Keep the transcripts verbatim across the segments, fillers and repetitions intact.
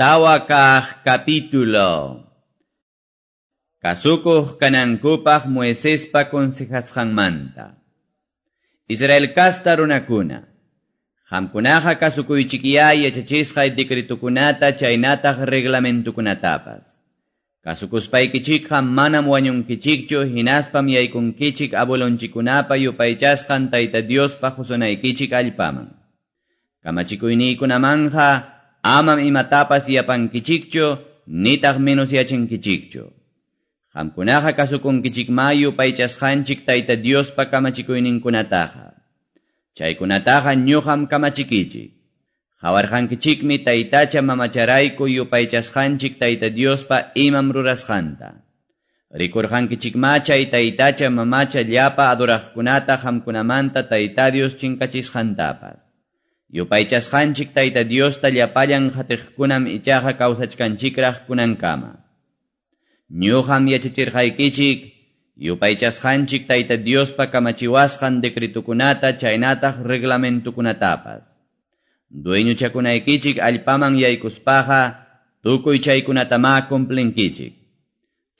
Tawa kaq capítulo. Kasukuq kanankupaq Moisespa consejasqanmanta. Israel kasta runakuna, qamkunaqa kasukuychikyá yachachisqay decretukunata chaynataq reglamentukunatapas. Kasukuspaykichikqa manam wañunkichikchu hinaspam yaykunkichik abuelonchikunapa yupaychasqan Tayta Diospa qusunaykichik allpaman. Kamachikuyniykunamanja amam imatapas yapankichikchu nitaq menos yachinkichikchu. Qamkunaqa kasukunkichikma yupaychasqanchik Tayta Diospa kamachikuyninkunataqa. Chaykunataqa ñuqam kamachikichik. Qawarqankichikmi taytacha mamacharayku yupaychasqanchik Tayta Diospa imam rurasqanta. Rikurqankichikma chay taytacha mamacha llapa adoraqkunata qamkunamanta Tayta Dios chinkachisqantapas. Yupaychasqanchik Tayta Diosta llapallan qatiqkunam ichaqa kawsachkanchikraq kunankama. Ñuqam yachachirqaykichik yupaychasqanchik Tayta Diospa kamachiwasqan decretukunata chaynataq reglamentukunatapas. Dueñochakunaykichik allpaman yaykuspaqa tukuy chaykunatamá cumplinkichik.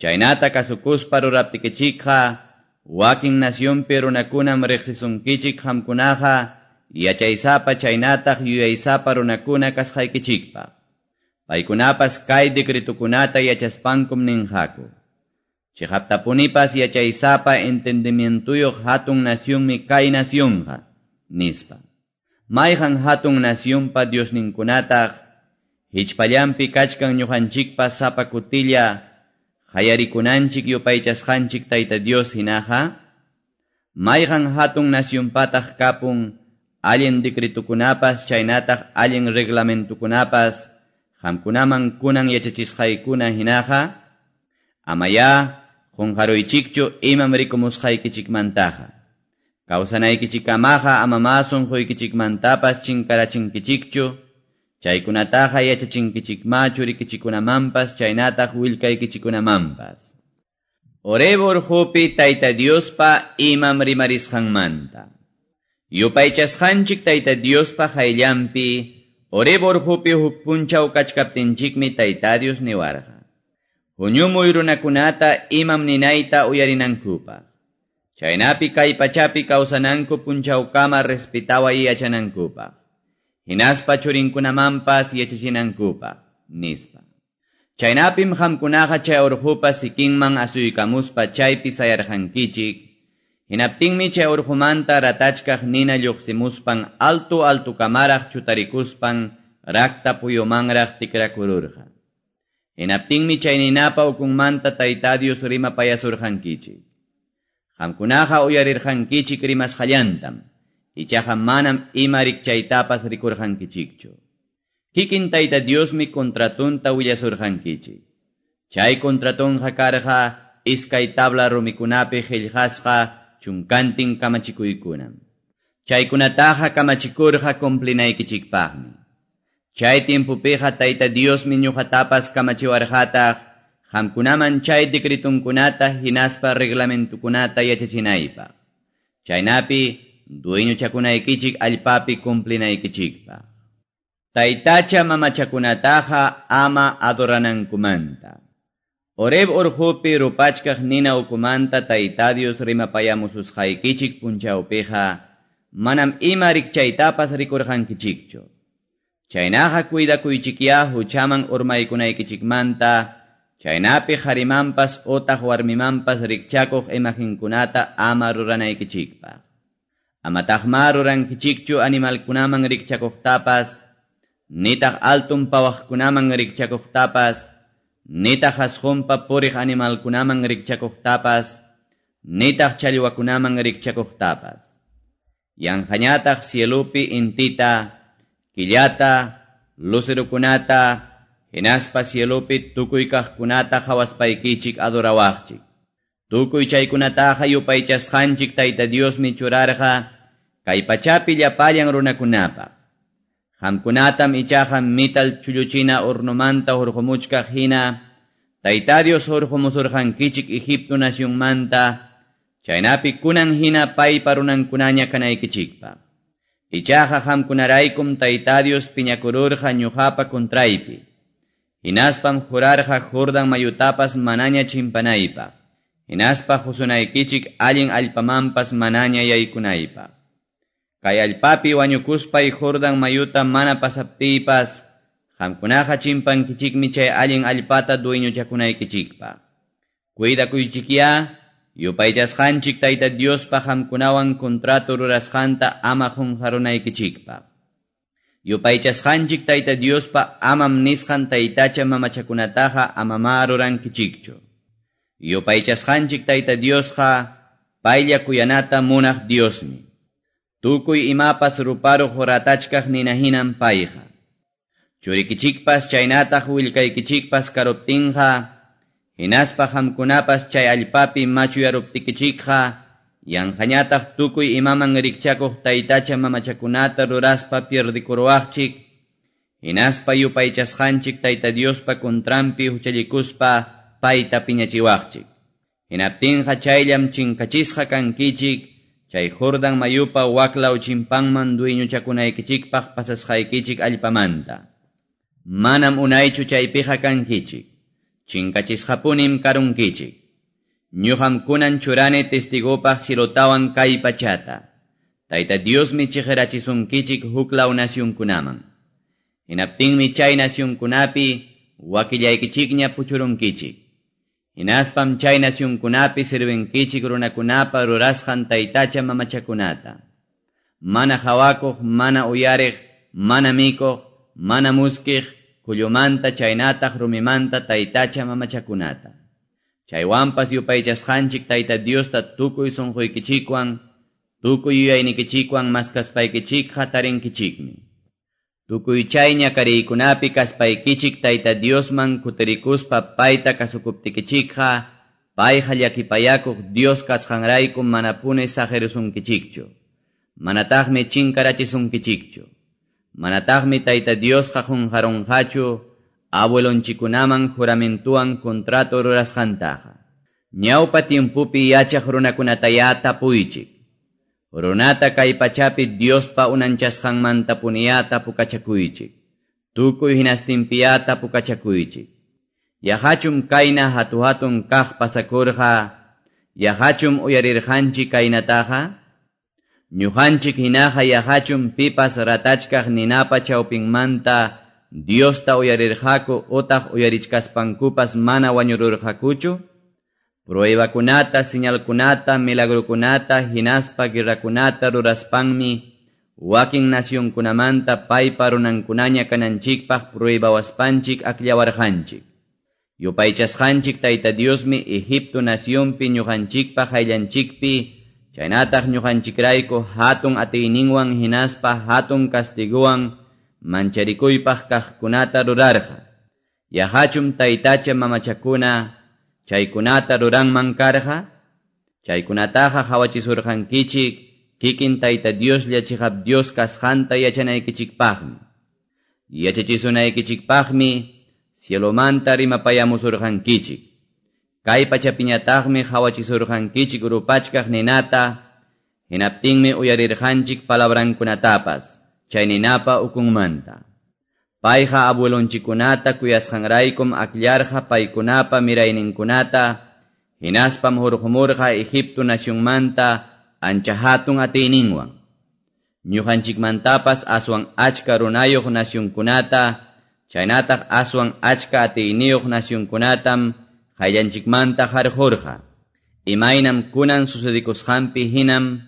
Chaynata kasukuspa ruraptikichikqa wakin nacionpi runakunam riqsisunkichik qamkunaqa yachaysapa chaynataq yuyaysapa runakuna kasqaykichikpaq. Paykunapas kay decretukunata yachaspankum ninqaku. Chiqaptapunipas yachaysapa entendimientuyuq hatun nacionmi kay nacionqa, nispa. Mayqan hatun nacionpa diosninkunataq hichpallanpi kachkan ñuqanchikpa sapa kutilla qayarikunanchik yupaychasqanchik Tayta Dios hinaqa? Mayqan hatun nacionpataq kapun allin decretukunapas chaynataq allin reglamentukunapas qamkunaman kunan yachachisqaykuna hinaqa? Amayá qunqaruychikchu imam rikumusqaykichikmantaqa. Kawsanaykichikamaqa amamá sunquykichikmantapas chinkarachinkichikchu, chaykunataqa yachachinkichikma churikichikunamanpas chaynataq willkaykichikunamanpas. Horeb urqupi Tayta Diospa imam rimarisqanmanta. Yupaychasqanchik Tayta Diospa qayllanpi Horeb urqupi huk punchaw kachkaptinchikmi Tayta Dios niwarqa. Huñumuy runakunata imam ninayta uyarinankupaq. Chaynapi kay pachapi kawsananku punchawkama respetaway yachanankupaq. Hinaspa churinkunamanpas yachachinankupaq, nispa. Chaynapim qamkunaqa chay urqupa sikinman asuykamuspa chaypi sayarqankichik. Hinaptinmi chay urqumanta ratachkaq nina lluqsimuspan alto altukamaraq chutarikuspan rakta puyumanraq tikrakururqa. Hinaptinmi chay ninapa ukunmanta Tayta Dios rimapayasurqankichik. Qamkunaqa uyarirqankichik rimasqallantam, ichaqa manam ima rikchaytapas rikurqankichikchu. Kikin Tayta Diosmi contratunta willasurqankichik. Chay contratunqa karqa iskay tabla rumikunapi qillqasqa chunkantin kamachikuykunam. Chaykunataqa kamachikurqa cumplinaykichikpaqmi. Chay tiempopiqa Tayta Diosmi ñuqatapas kamachiwarqataq qamkunaman chay decretunkunata hinaspa reglamentukunata yachachinaypaq. Chaynapi dueñochakunaykichik allpapi cumplinaykichikpaq. Taytacha mamachakunataqa ama adoranankumanta. Horeb urqupi rupachkaq nina ukumanta Tayta Dios rimapayamususqaykichik punchawpiqa manam ima rikchaytapas rikurqankichikchu. Chaynaqa cuidakuychikyá huchaman urmaykunaykichikmanta, chaynapi qharimanpas utaq warmimanpas rikchakuq imaginkunata ama ruranaykichikpaq. Amataqma rurankichikchu animalkunaman rikchakuqtapas, nitaq altun pawaqkunaman rikchakuqtapas, nitaq hasqunpa puriq animalkunaman rikchakuqtapas, nitaq challwakunaman rikchakuqtapas. Yanqañataq cielupi intita, killata, lucerukunata, hinaspa cielupi tukuy kaqkunata qawaspaykichik adorawaqchik. Tukuy chaykunataqa yupaychasqanchik Tayta Diosmi churarqa kay pachapi llapallan runakunapaq. Qamkunatam ichaqa mital chulluchina hornomanta hurqumuchkaq hina Tayta Dios hurqumusurqankichik Egipto nacionmanta, chaynapi kunan hina paypa runankunaña kanaykichikpaq. Ichaqa qamkunaraykum Tayta Dios piñakururqa ñuqapa contraypi. Hinaspam jurarqa Jordan mayutapas manaña chimpanaypaq. Hinaspa qusunaykichik allin allpamanpas manaña yaykunaypaq. Kay allpapi wañukuspay Jordan mayuta mana pasaptiypas, qamkunaqa chimpankichikmi chay allin allpata dueñochakunaykichikpaq. Cuidakuychikyá, yupaychasqanchik Tayta Diospa qamkunawan contrato rurasqanta ama qunqarunaykichikpaq. Yupaychasqanchik Tayta Diospa amam nisqan taytacha mamachakunataqa amamá rurankichikchu. Yupaychasqanchik Tayta Diosqa paylla kuyanata munaq Diosmi. Tukuy imapas ruparuq ratachkaq ninahinam payqa. Churikichikpas chaynataq willkaykichikpas karuptinqa, hinaspa qamkunapas chay allpapi machuyaruptikichikqa, yanqañataq tukuy imaman rikchakuq taytacha mamachakunata ruraspa pierdikuruwaqchik, hinaspa yupaychasqanchik Tayta Diospa contranpi huchallikuspa payta piñachiwaqchik. Hinaptinqa chayllam chinkachisqa kankichik, chay Jordan mayupa waklaw chimpanman dueñochakunaykichikpaq pasasqaykichik allpamanta. Manam unaychu chaypiqa kankichik, chinkachisqapunim karunkichik. Ñuqam kunan churani testigopaq cielotawan kay pachata. Tayta Diosmi chiqirachisunkichik huklaw nacionkunaman. Hinaptinmi chay nacionkunapi wakillaykichikña puchurunkichik. Hinaspam chay nacionkunapi sirvinkichik runakunapa rurasqan taytacha mamachakunata. Mana hawakuq, mana uyariq, mana mikuq, mana muskiq, kullumanta chaynataq rumimanta taytacha mamachakunata. Chaywanpas yupaychasqanchik Tayta Diosta tukuy sunquykichikwan, tukuy yuyaynikichikwan maskaspaykichikqa tarinkichikmi. Tukuy chay ñakariykunapi kaspaykichik Tayta Diosman kutirikuspa payta kasukuptikichikqa, payqa llakipayakuq Dios kasqanrayku manapuni saqirisunkichikchu. Manataqmi chinkarachisunkichikchu. Manataqmi Tayta Diosqa qunqarunqachu abuelonchikunaman juramentuwan contrato rurasqantaqa. Ñawpa tiempupi yachaq runakunatayá tapuychik. Runata kay pachapi Diospa unanchasqanmantapuniyá tapukachakuychik. Tukuy hinastinpiyá tapukachakuychik. Yaqachum kayna hatu-hatun kaq pasakurqa, yaqachum uyarirqanchik kaynataqa? Ñuqanchik hinaqa yaqachum pipas ratachkaq ninapa chawpinmanta Diosta uyarirqaku utaq uyarichkaspankupas mana wañururqakuchu? Pruebakunata, señalkunata, milagrukunata, hinaspa guerrakunata ruraspanmi wakin nacionkunamanta paypa runankunaña kananchikpaq pruebawaspanchik akllawarqanchik. Yupaychasqanchik Tayta Diosmi Egipto nacionpi ñuqanchikpaq ayllanchikpi, chaynataq ñuqanchikrayku hatun atiyninwan hinaspa hatun castiguwan mancharikuypaq kaqkunata rurarqa. Yaqachum taytacha mamachakuna chaykunata ruranman karqa? Chaykunataqa qawachisurqankichik kikin Tayta Dioslla chiqap Dios kasqanta yachanaykichikpaqmi. Yachachisunaykichikpaqmi cielomanta rimapayamusurqankichik. Kay pachapiñataqmi qawachisurqankichik rupachkaq ninata, hinaptinmi uyarirqanchik palabrankunatapas, chay ninapa ukunmanta. Payqa abuelonchikunata kuyasqanraykum akllarqa paykunapa mirayninkunata, hinaspam hurqumurqa Egipto nacionmanta ancha hatun atiyninwan. Ñuqanchikmantapas aswan achka runayuq nacionkunata, chaynataq aswan achka atiyniyuq nacionkunatam qayllanchikmanta harqurqa. Imaynam kunan sucedikusqanpi hinam,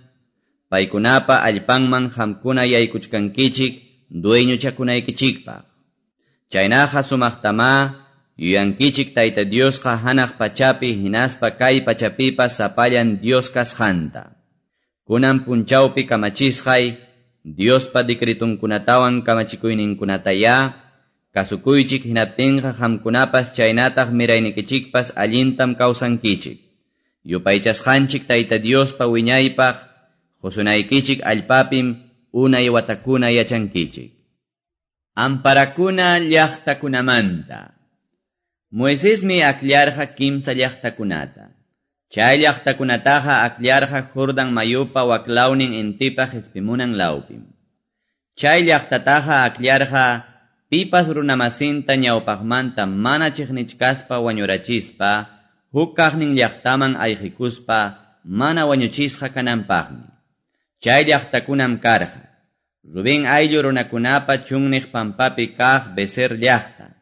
paykunapa allpanman qamkuna yaykuchkankichik dueñochakunaykichikpaq. Chaynaqa sumaqtamá yuyankichik Tayta Diosqa hanaq pachapi hinaspa kay pachapipas sapallan Dios kasqanta. Kunan punchawpi kamachisqay Diospa decretunkunatawan kamachikuyninkunatayá kasukuychik hinaptinqa qamkunapas chaynataq miraynikichikpas allintam kawsankichik. Yupaychasqanchik Tayta Diospa wiñaypaq qusunaykichik allpapim unay watakuna yachankichik. Amparakuna llaqtakunamanta. Moisesmi akllarqa kimsa llaqtakunata. Chay llaqtakunataqa akllarqa Jordan mayupa waklawnin intipa qispimunan lawpim. Chay llaqtataqa akllarqa pipas runamasinta ñawpaqmanta mana chiqnichkaspa wañurachispa, huk kaqnin llaqtaman ayqikuspa mana wañuchisqa kananpaqmi. Chay llaqtakunam karqa: Rubén ayllu runakunapa chunniq pampapi kaq Beser llaqta,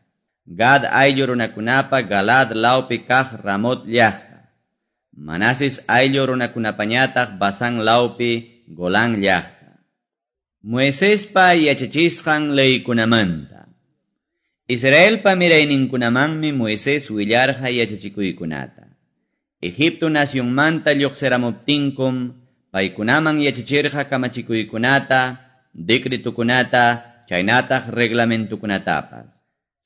Gad ayllu runakunapa Galaad lawpi kaq Ramot llaqta, Manases ayllu runakunapañataq Basán lawpi Golán llaqta. Moisespa yachachisqan leykunamanta. Israelpa mirayninkunamanmi Moisés willarqa yachachikuykunata. Egipto nacionmanta lluqsiramuptinkum paykunaman yachachirqa kamachikuykunata, decretukunata, chaynataq reglamentukunatapas.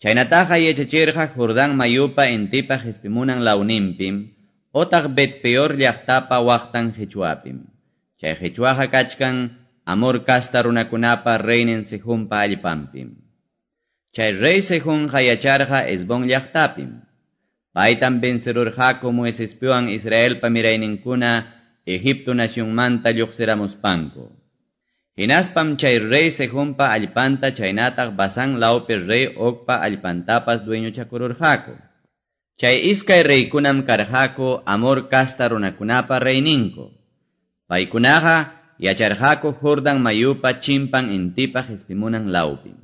Chaynataqa yachachirqa Jordán mayupa intipa qispimunan lawninpim, otaq Bet-peor llaqtapa waqtan qichwapim. Chay qichwaqa kachkan Amor casta runakunapa reynin Sehonpa allpanpim. Chay rey Sehonqa yacharqa Hesbón llaqtapim. Paytam vencerurqaku Moisespiwan Israelpa mirayninkuna Egipto nacionmanta lluqsiramuspanku. Hinaspam chay rey Sehonpa allpanta chaynataq Basán lawpi rey Ogpa allpantapas dueñochakururqaku. Chay iskay reykunam karqaku Amor casta runakunapa reyninku. Paykunaqa yacharqaku Jordán mayupa chimpan intipa qispimunan lawpim.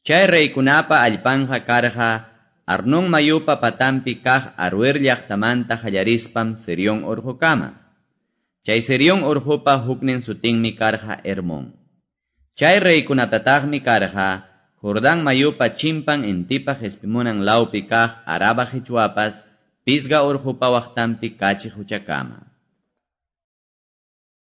Chay reykunapa allpanqa karqa Arnón mayupa patampi kaq Aruer llaqtamanta qallarispam Serión urqukama. Chay Serión urqupa huknin sutinmi karqa Hermón. Chay reykunatataqmi karqa Jordán mayupa chimpan intipa qispimunan lawpi kaq Araba qichwapas Pisga urqupa waqtanpi Kachi quchakama.